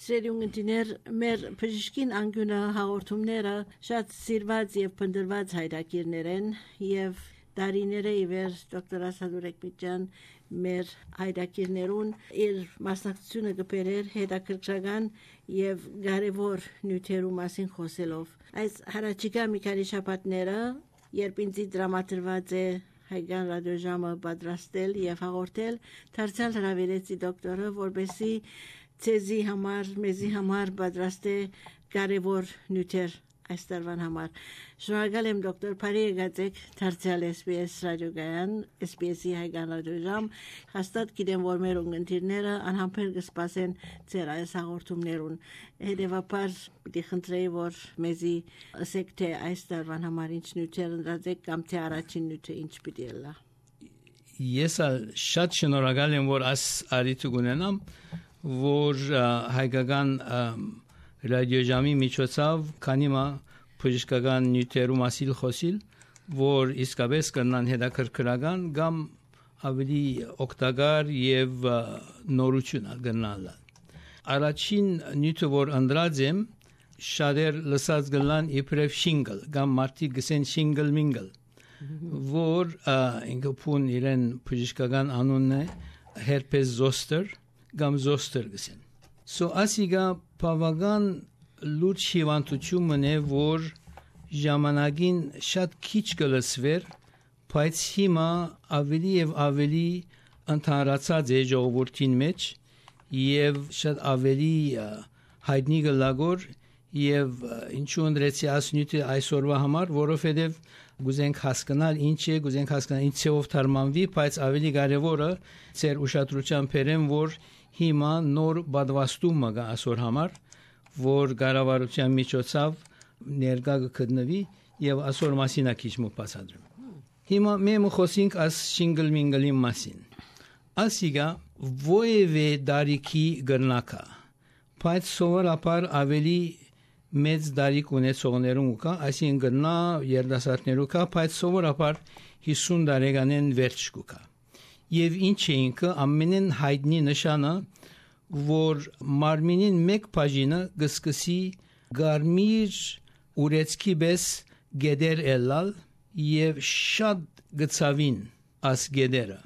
Սիրելի ունգընտիներ, մեր բժշկին անգյունը հաղորդումները շատ սիրված եւ փնտրված հայրակիրներ են եւ դարիները իվեր դոկտոր Ասադուր Էկմիջյան մեր հայրակիրներուն իր մասնակցությունը կբերեր հետաքրքրական եւ կարեւոր նյութերու մասին խոսելով այս հարաճիկա մի քանի շաբաթները երբ ինձ դրամատրված է հայկական ռադիոժամը պատրաստել եւ հաղորդել դարձյալ հրավիրեցի դոկտորը որպեսի ցեզի համար մեզի համար պատրաստե կարեւոր նյութեր այս տարվան համար շնորհակալ եմ դոկտոր Փարի եկածեք դարձյալ SBS ռադիոգայան SBS-ի հայկական ռադիոժամ հաստատ գիտեմ որ մեր ունգընտիրները անհամբեր կսպասեն ձեր այս հաղորդումներուն հետևաբար պիտի խնդրեի որ մեզի ասեք թե այս տարվան համար ինչ նյութեր ընդրացեք կամ թե առաջին նյութը ինչ պիտի լա Ես շատ շնորհակալ եմ որ այս արիթը ունենամ որ հայկական ռադիոժամի միջոցով քանիմա բժշկական նյութերու մասին խոսիլ որ իսկապես կնան հետաքրքրական կամ ավելի օգտակար եւ նորություն կնալ առաջին նյութը որ ընդրած եմ շատեր լսած գլան իբրև շինգլ կամ մարտի գսեն շինգլ մինգլ որ ինքը փուն իրեն բժշկական անունն է herpes zoster կամ zoster գսեն So ասիգա բավական լուրջ հիվանդություն է որ ժամանակին շատ քիչ կլսվեր բայց հիմա ավելի եւ ավելի ընդհանրացած է ժողովրդին մեջ եւ շատ ավելի հայտնի գլագոր եւ ինչու ընդրեցի ասնյութը այսօրվա համար որովհետեւ գուզենք հասկանալ ինչ է գուզենք հասկանալ ինչ ծով թարմանվի բայց ավելի կարեւորը ծեր ուշադրության բերեմ որ հիմա նոր բադվաստումը կա այսօր համար որ կառավարության միջոցով ներկա կգտնվի եւ այսօր մասինա քիչ մը բացատրեմ հիմա մենք խոսենք աս շինգլ մինգլի մասին ասիգա ովևէ դարիքի գրնակա բայց սովորաբար ավելի մեծ դարիք ունեցողներուն կա այսինքն գնա երդասարտներու կա բայց սովորաբար 50 տարեկանեն վերջ կա Եվ ինչ է ինքը ամենեն հայտնի նշանը, որ մարմինին մեկ բաժինը գսկսի գարմիր ուրեցքի պես գեդեր ելալ եւ շատ գծավին աս գեդերը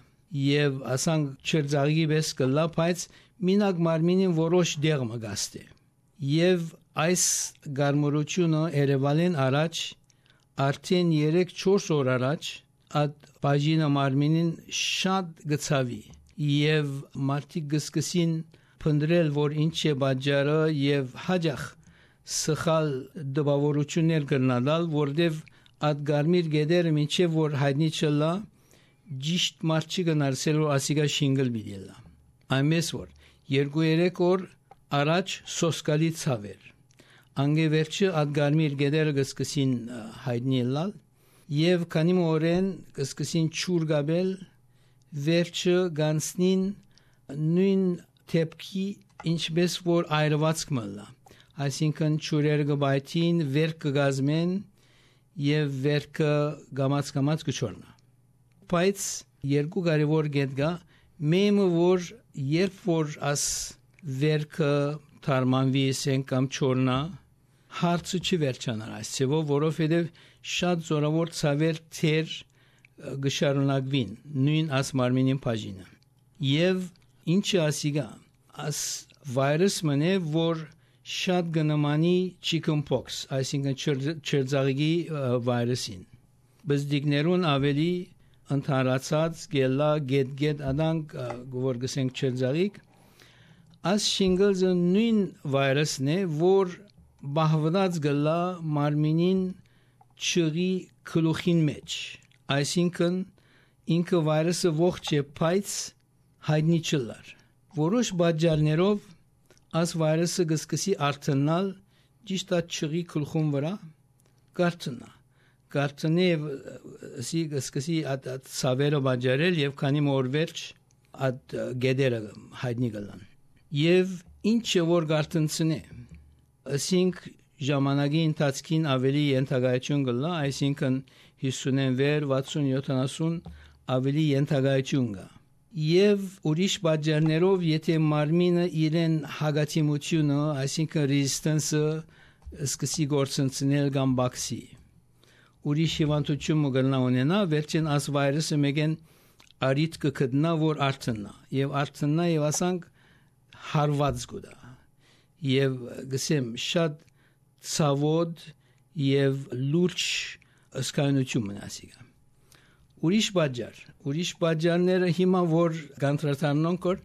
եւ ասանք չերձաղի պես կլա բայց մինակ մարմինին որոշ դեղ մգաստե եւ այս գարմուրությունը Երևանին առաջ արդեն 3-4 օր առաջ Այդ բաժինը մարմինին շատ գծավի եւ մարդիկ գսկսին փնդրել որ ինչ է բաժարը եւ հաջախ սխալ դպավորություններ կրնալ որտեւ այդ գարմիր գեդերը մինչեւ որ հայտնի չլա ճիշտ մարդի գնարսելու ասիգա շինգլ բիդելա այնպես որ 2-3 օր առաջ սոսկալի ցավեր անգե վերջը այդ գարմիր գեդերը գսկսին հայտնի լալ Եվ քանի մորեն կսկսին ճուր գաբել վերջը գանցնին նույն թեփքի ինչպես որ այրված կմլա այսինքն ճուրերը գբայթին վերք կգազմեն եւ վերքը գամած կչորնա բայց երկու կարևոր գետ կա մեմը որ երբ որ աս վերքը թարմանվի սեն կամ չորնա հարցը չի վերջանար այսցեվով որովհետև շատ զորավոր ցավեր թեր գշարունակվին նույն աս մարմինին բաժինը եւ ինչը ասիգա աս վիրուս մնե որ շատ գնամանի chickenpox այսինքն չերձաղի վիրուսին բզդիկներուն ավելի ընդհանրացած գելա գետ աданք որ գսենք չերձաղիկ աս շինգլզը նույն վիրուսն է որ բահված գլա մարմինին չղի քլուխին մեջ այսինքն ինքը վիրուսը ողջ է բայց հայտնի չլար որոշ բաժարներով աս վիրուսը գսկսի արտնալ ճիշտ այդ չղի քլուխուն վրա կարտնե սի գսկսի այդ սավերը բաժարել եւ քանի մոր վերջ այդ գեդերը հայտնի գլան եւ ինչը որ կարտնցնե ասինք ժամանակի ընթացքին ավելի ենթակայություն կլա, այսինքն 50-ն վեր 60-70 ավելի ենթակայություն կա։ եւ ուրիշ բաժներով եթե մարմինը իրեն հագատիմությունը, այսինքն resistance-ը սկսի գործընծնել կամ բացի ուրիշ հիվանդություն մգնա ունենա վերջին աս վիրուսը մեգեն արիտ կգտնա որ արտնա եւ արտնա եւ ասանք հարված գուտա եւ գսեմ շատ ցավոտ եւ լուրջ ըսկայնություն մնացիգա ուրիշ բաժարները հիմա որ գանտրատարնոնք որ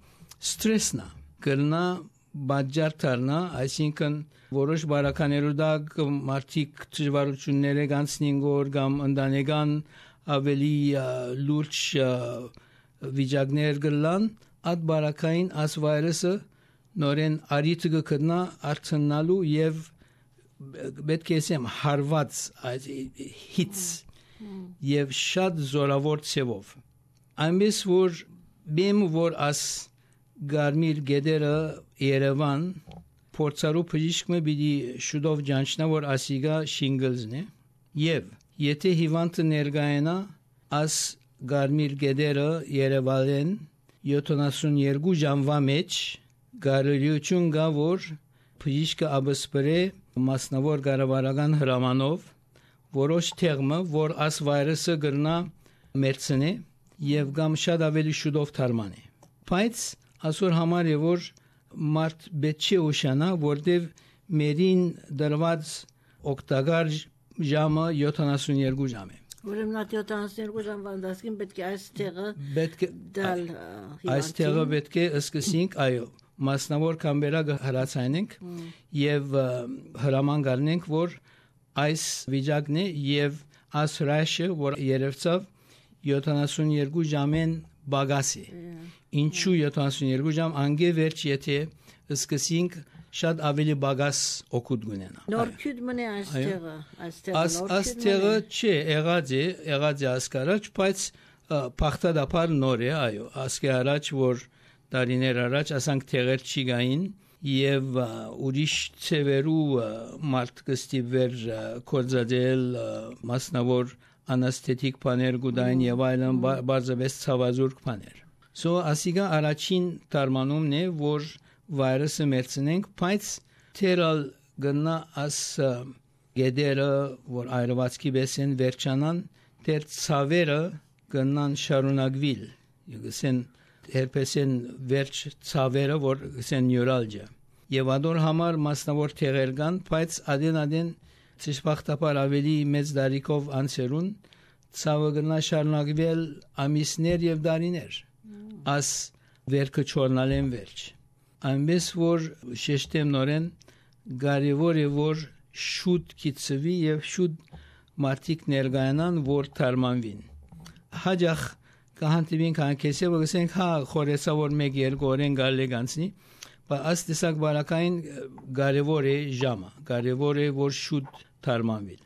ստրեսնա կրնա բաժար դառնա այսինքն որոշ բարականերու դա մարդիկ դժվարություններ գանցնին գոր կամ ընտանեկան ավելի լուրջ վիճակներ գլան այդ բարակային աս վիրուսը նորեն արիթ կգտնա արցնալու եւ պետք է ասեմ հարված հիթ եւ շատ զորավոր ցևով այնպես որ բեմ որ աս գարմիր գեդերը Երևան փորձարու բժիշկը պիտի շուտով ջանչնա որ ասիգա շինգլզն է եւ եթե հիվանդը ներգայանա աս գարմիր գեդերը Երևանեն 72 ժամվա մեջ գարելիություն գա որ բժիշկը աբսպրե մասնավոր կառավարական հրամանով որոշ թեղմը որ աս վիրուսը գրնա մերցնե եւ կամ շատ ավելի շուտով թարմանե բայց ասոր համար է որ մարդ բեչի ուշանա որտեվ մերին դրված օկտագար ժամը 72 ժամ է ուրեմն 72 ժամվա դասքին պետք է այս տեղը դալ այս տեղը պետք է սկսենք այո մասնավոր կամբերակը հրացանենք եւ հրաման գարնենք որ այս վիճակն է եւ աս հրաշը որ երևցավ 72 ժամեն բագասի ինչու 72 ժամ անգե վերջ եթե սկսենք շատ ավելի բագաս օգուտ գունենա նոր քյուդ մնե այս տեղը չէ եղած է ասկարաջ բայց փախտադապար նոր է այո ասկե առաջ որ տարիներ առաջ ասանք տեղեր չի գային եւ ուրիշ ծևերու մարդ կստիվեր կորզադել մասնավոր անաստետիկ բաներ գուդային եւ այլն բարձրապես ցավազուրկ բաներ So ասիգա առաջին տարմանումն է որ վիրուսը մերցնենք բայց թերալ գնա աս գեդերը որ այրվածքի բեսեն վերջանան դեր ցավերը գնան շարունակվիլ յոգսեն herpesen վերջ ցավերը որ գսեն նյուրալջա եւ ադոր համար մասնավոր թեղեր կան բայց adեն ցիշխախտապար ավելի մեծ դարիքով անցերուն ցավը գնա շարունակվել ամիսներ եւ դարիներ as վերքը չորնալեն վերջ այնպես որ շեշտեմ նորեն կարևոր է որ շուտ կիցվի եւ շուտ մարդիկ ներգայանան որ թարմանվին հաջախ կհանդիպին կանքեսը որ հա խորեսա որ 1-2 օրեն գալի գանցնի բայց աս տեսակ բարակային կարևոր է ժամը կարևոր է որ շուտ թարմանվի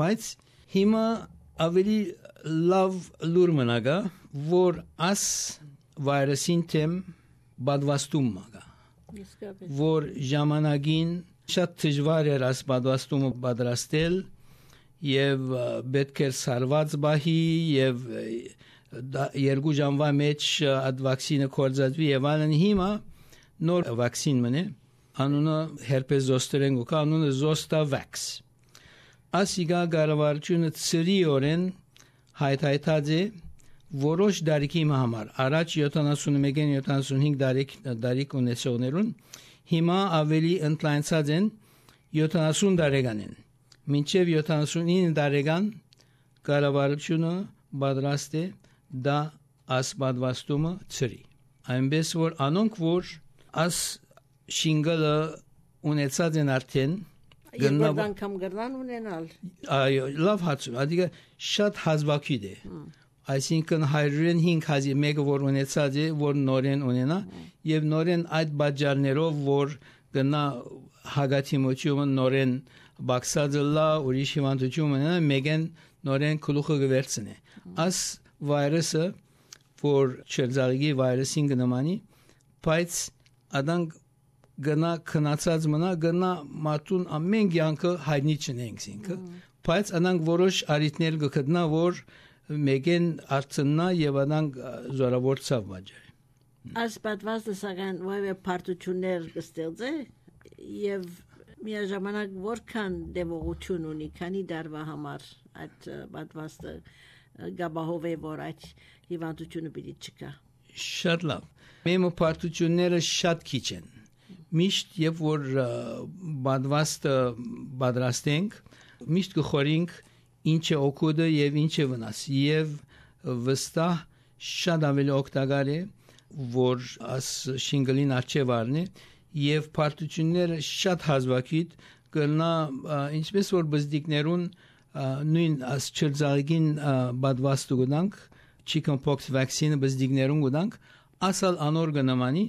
բայց հիմա ավելի լավ լուր մնագա որ աս վիրուսին թեմ բադվաստում մագա որ ժամանակին շատ դժվար էր աս բադվաստումը պատրաստել եւ պետք էր սարված բահի եւ 2 ժամվա մեջ այդ վակցինը կորզածվի եւ այլն հիմա նոր վակցին մնե անունը herpes zoster են գոկա անունը Zostavax ասիգա գարավարությունը ծրիորեն հայթայթած է որոշ դարիքի համար առաջ 71-75 դարիք ունեցողներուն հիմա ավելի ընդլայնցած են 70 տարեկանին մինչև 79 տարեկան կառավարությունը պատրաստ է դա ասպատվաստումը ծրի այնպես որ անոնք որ աս շինգալը ունեցած են արդեն Երկու անգամ գրնան ունենալ այո լավ հացու adică շատ հազվագյուտ է այսինքն 105 հազի մեկը որ ունեցած է որ նորեն ունենա եւ նորեն այդ բաժարներով որ գնա հագատիմությունը նորեն բաքսածլա ուրիշ հիվանդություն ունենա մեգեն նորեն գլուխը գվերցնե աս վիրուսը որ չերզալգի վիրուսին գնամանի բայց adank գնա քնացած մնա գնա մատուն ամեն կյանքը հայտնի չնենք ինքը բայց անանք որոշ արիտներ գտնա որ մեգեն արցնա եւ անանք զորավոր ցավ վաճառ Այս պատվաստը սակայն որևէ պարտություններ կստեղծե եւ միաժամանակ որքան դեմողություն ունի քանի դարվա համար այդ պատվաստը գաբահովե որ այդ հիվանդությունը պիտի չկա շատ լավ մեր պարտությունները շատ քիչ են միշտ երբ որ պատվաստը պատրաստենք միշտ կխորինք ինչ է օգուտը եւ ինչ է վնաս եւ վստահ շատ ավելի օգտակար է որ աս շինգլին արժեվ առնի եւ պարտությունները շատ հազվագիտ կլնա ինչպես որ բզդիկներուն նույն աս չրձագին պատվաստը գտանք chickenpox vaccine բզդիկներուն գտանք ասալ անոր գնամանի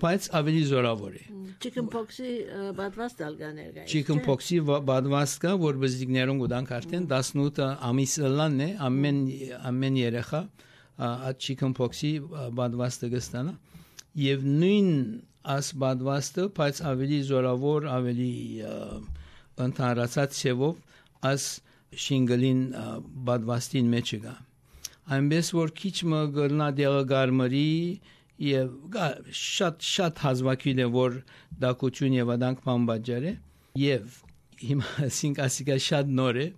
բայց ավելի զորավոր է chickenpox-ի պատվաստը ալգաներ գայ chickenpox-ի պատվաստը որ բզդիկներուն գտանք արդեն 18 ամիս լանն է ամեն երեխա այդ chickenpox-ի պատվաստը կստանա եւ նույն as badvastը բայց ավելի զորավոր ավելի ընդհանրացած ցևով as շինգլին badvastին մեջ գա այնպես որ քիչ մը գտնա դեղագարմրի եւ շատ հազվագիտ է որ դակություն եւ աданք բամբաջար է եւ հիմա ասինքա շատ նոր է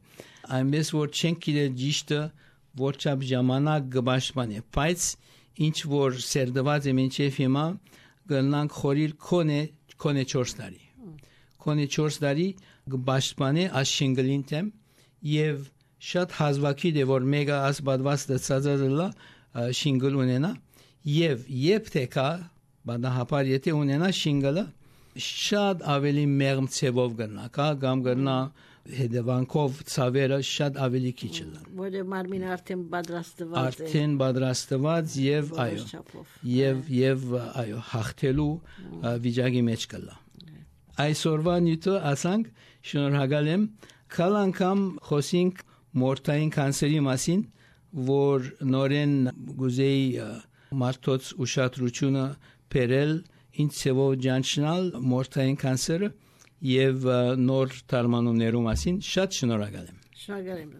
այնպես որ չենք գիտե ճիշտը որչափ ժամանակ կբաշխանե բայց ինչ որ սերդված է մինչեւ հիմա գնանք խորիլ կոնե 4 տարի կոնե 4 տարի գբաշխանե աշինգլին տեմ եւ շատ հազվագիտ է որ մեգա աս բադվաստը ցածածլա շինգլ ունենա եւ երբ թեկա բանահապար եթե ունենա շինգլը շատ ավելի մեղմ ցևով գնա կա կամ գնա հետևանքով ցավերը շատ ավելի քիչ են որը մարմինը արդեն պատրաստված եւ այո եւ այո հաղթելու վիճակի մեջ կլա այսօրվա նյութը ասանք շնորհակալ եմ քալ անգամ խոսենք մորթային կանսերի մասին որ նորեն գուզեի մարդոց ուշադրությունը բերել ինչ ցեվով ջանչնալ մորթային կանսերը եւ նոր թարմանումներու մասին շատ շնորհակալ եմ Շնորհակալ եմ